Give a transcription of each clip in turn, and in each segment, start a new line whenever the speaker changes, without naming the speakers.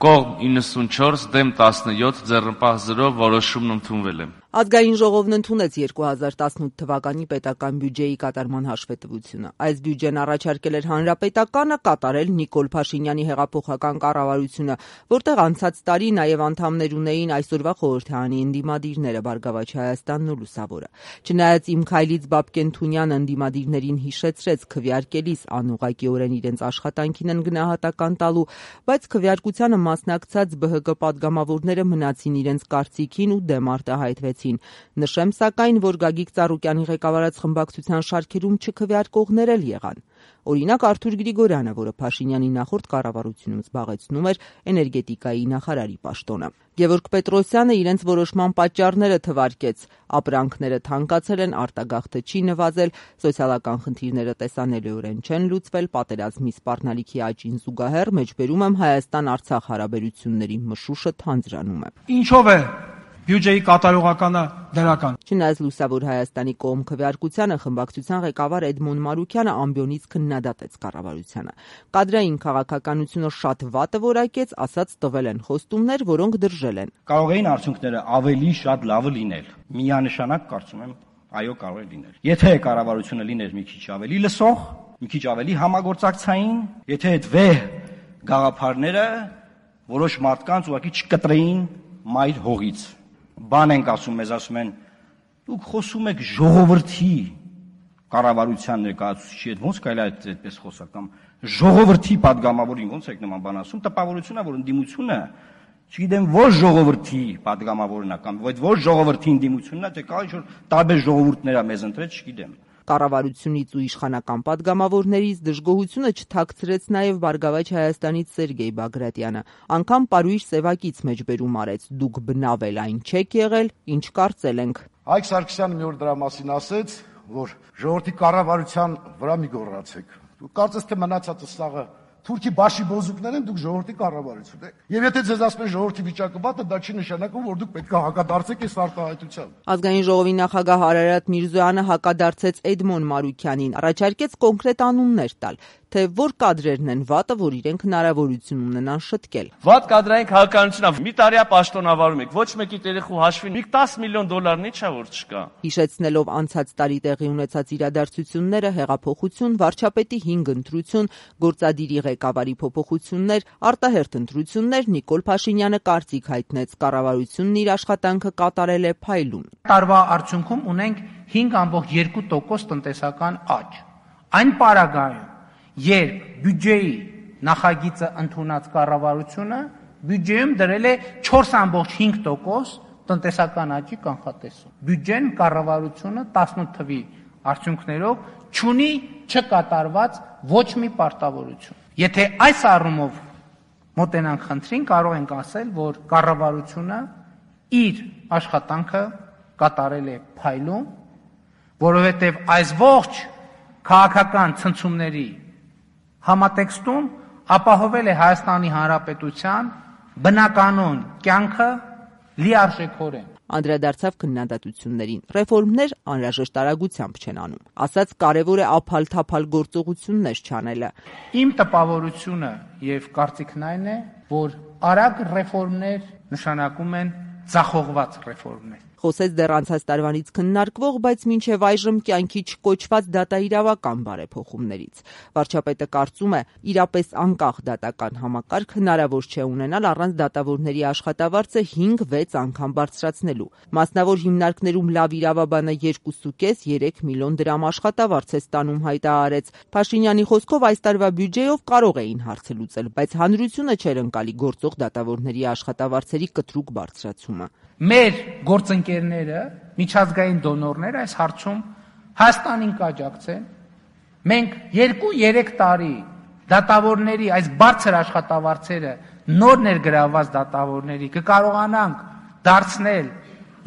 Կողմ 94, դեմ 17, ձեռնպահ 0, որոշումն ընդունվել է։
Ազգային ժողովն ընդունեց 2018 թվականի պետական բյուջեի կատարման հաշվետվությունը։ Այս բյուջեն առաջարկել էր Հանրապետականը, կատարել Նիկոլ Փաշինյանի հեղափոխական կառավարությունը, որտեղ անցած տարի նաև անդամներ ունեին այսօրվա խորհրդարանի ընդդիմադիրները Բարգավաճ Հայաստանն ու Լուսավորը։ Չնայած Իմ քայլից Բաբկեն Թունյանը ընդդիմադիրներին հիշեցրեց քվեարկելիս անուղղակիորեն իրենց աշխատանքին են գնահատական տալու, բայց քվեարկությանը մասնակցած ԲՀԿ պատգամավորները մնացին իրենց կարծիքին ու դեմ արտահայտվեցին։ Նշեմ սակայն, որ Գագիկ Ծառուկյանի ղեկավարած խմբակցության շարքերում չքվեարկողներ էլ եղան։ Օրինակ Արթուր Գրիգորյանը, որը Փաշինյանի նախորդ կառավարությունում զբաղեցնում էր էներգետիկայի նախարարի պաշտոնը։ Գևորգ Պետրոսյանը իրենց որոշման պատճառները թվարկեց։ Ապրանքները թանկացել են, արտագաղթը չի նվազել, սոցիալական խնդիրները տեսանելիորեն չեն լուծվել, պատերազմի սպառնալիքի աճին զուգահեռ մեջբերում եմ Հայաստան-Արցախ հարաբերությունների մշուշը թանձրանում է։
Ինչով է բյուջեի կատարողականը դրական։
Չնայած Լուսավոր Հայաստանի կողմ քվեարկությանը խմբակցության ղեկավար Էդմոն Մարուկյանը ամբիոնից քննադատեց կառավարությանը։ Կադրային քաղաքականությունը շատ վատը որակեց, ասաց տվել են խոստումներ, որոնք դրժել են։
Կարող էին արդյունքները ավելի շատ լավը լինել։ Միանշանակ կարծում եմ, այո, կարող է լինել։ Եթե կառավարությունը լիներ մի քիչ ավելի լսող, մի քիչ ավելի համագործակցային, եթե այդ վեհ գաղափարները որոշ մարդկանց ուղղակի չկտրեին մայր հողից։ Բան ենք ասում, մեզ ասում են, դուք խոսում եք ժողովրդի կառավարության ներկայացուցիչի հետ, ոնց կարելի է այդպես խոսալ, կամ ժողովրդի падգամավորին ոնց եք նման բան ասում, տպավորությունն է, որ ընդդիմությունը, չգիտեմ, ոչ ժողովրդի падգամավորն է, կամ ոչ ժողովրդի ընդդիմությունն է, թե կա ինչ-որ տարբեր ժողովուրդներ է մեզ ընտրել, չգիտեմ։
Կառավարությունից ու իշխանական падգամավորներից դժգոհությունը չթաքցրեց նաև Բարգավաճ Հայաստանից Սերգեյ Բագրատյանը։ Անգամ պարույր սևակից մեջբերում արեց. դուք բնավել այն չեք եղել, ինչ կարծել ենք։
Հայկ Սարգսյանը մի օր դրա մասին ասեց, որ ժողովրդի կառավարության վրա մի գոռացեք։ Դուք կարծես թե մնացածը սաղը Թուրքի բաշի բոզուկներ են, դուք ժողովրդի կառավարություն եք։ Եվ եթե ձեզ ասում են ժողովրդի վիճակը վատ է, դա չի նշանակում, որ դուք պետք է հակադարձեք այս արտահայտությանը։
Ազգային ժողովի նախագահ Արարատ Միրզոյանը հակադարձեց Էդմոն Մարուկյանին, առաջարկեց կոնկրետ անուններ տալ, թե որ կադրերն են վատը, որ իրենք հնարավորություն ունենան շտկել։
Վատ կադրային քաղաքականություն է։ Մի տարիա պաշտոնավարում եք, ոչ մեկի երեխու հաշվին մի $10 միլիոն ի՞նչ է որ չկա։
Հիշեցնելով անցած տարի տեղի ունեցած իրադարձությունները, հեղափոխություն, վարչապետի 5 ընտրություն, գործադիրի ղեկավարի փոփոխություններ, արտահերթ ընտրություններ, Նիկոլ Փաշինյանը կարծիք հայտնեց, կառավարությունն իր աշխատանքը կատարել է փայլուն։
Տարվա արդյունքում ունենք 5.2% տնտեսական աճ։ Այն պարագայում, երբ բյուջեի նախագիծը ընդունած կառավարությունը բյուջեում դրել է 4.5% տնտեսական աճի կանխատեսում։ Բյուջեն կառավարությունը 18 թվի արդյունքներով չունի չկատարված ոչ մի պարտավորություն։ Եթե այս առումով մոտենանք խնդրին, կարող ենք ասել, որ կառավարությունը իր աշխատանքը կատարել է փայլուն, որովհետև այս ողջ քաղաքական ցնցումների համատեքստում ապահովել է Հայաստանի Հանրապետության բնականոն կյանքը լիարժեքորեն։
Անդրադարձավ քննադատություններին։ Ռեֆորմներ անհրաժեշտ արագությամբ չեն անում։ Ասաց կարևոր է ափալ-թափալ գործողություններ չանելը։
Իմ տպավորությունը եւ կարծիքն այն է, որ արագ ռեֆորմներ նշանակում են ձախողված ռեֆորմներ։
Խոսեց դեռ անցած տարվանից քննարկվող, բայց մինչև այժմ կյանքի չկոչված դատաիրավական բարեփոխումներից։ Վարչապետը կարծում է, իրապես անկախ դատական համակարգ հնարավոր չէ ունենալ առանց դատավորների աշխատավարձը 5-6 անգամ բարձրացնելու։ Մասնավոր հիմնարկներում լավ իրավաբանը 2.5-3 միլիոն դրամ աշխատավարձ է ստանում, հայտարարեց։ Փաշինյանի խոսքով այս տարվա բյուջեով կարող էին հարցը լուծել, բայց հանրությունը չէր ընկալի գործող դատավորների աշխատավարձերի կտրուկ բարձրացումը։
Մեր գործընկերները, միջազգային դոնորները այս հարցում Հայաստանին կաջակցեն։ Մենք 2-3 տարի դատավորների այս բարձր աշխատավարձերը նոր ներգրավված դատավորների կկարողանանք դարձնել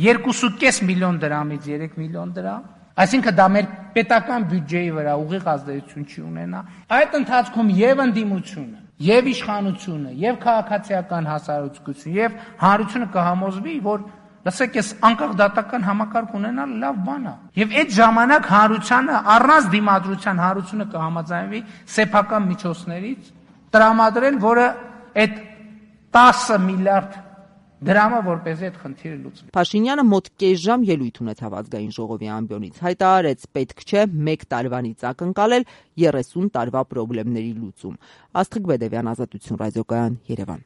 2.5 միլիոն դրամից 3 միլիոն դրամ, այսինքն դա մեր պետական բյուջեի վրա ուղիղ ազդեցություն չի ունենա։ Այդ ընթացքում եւ ընդդիմությունը, եւ իշխանությունը, եւ քաղաքացիական հասարակությունը, եւ հանրությունը կհամոզվի, որ լսեք, ես անկախ դատական համակարգ ունենալ լավ բան է։ Եվ այդ ժամանակ հանրությանը առանց դիմադրության հանրությունը կհամաձայնվի սեփական միջոցներից տրամադրել, որը այդ 10 միլիարդ դրամը, որպեսզի այդ խնդիրը լուծվի։
Փաշինյանը մոտ կես ժամ ելույթ ունեցավ ազգային ժողովի ամբիոնից, հայտարարեց պետք չէ 1 տարվանից ակնկալել 30 տարվա խնդիրների լուծում։ Աստղիկ Բեդևյան, Ազատություն ռադիոկայան, Երևան։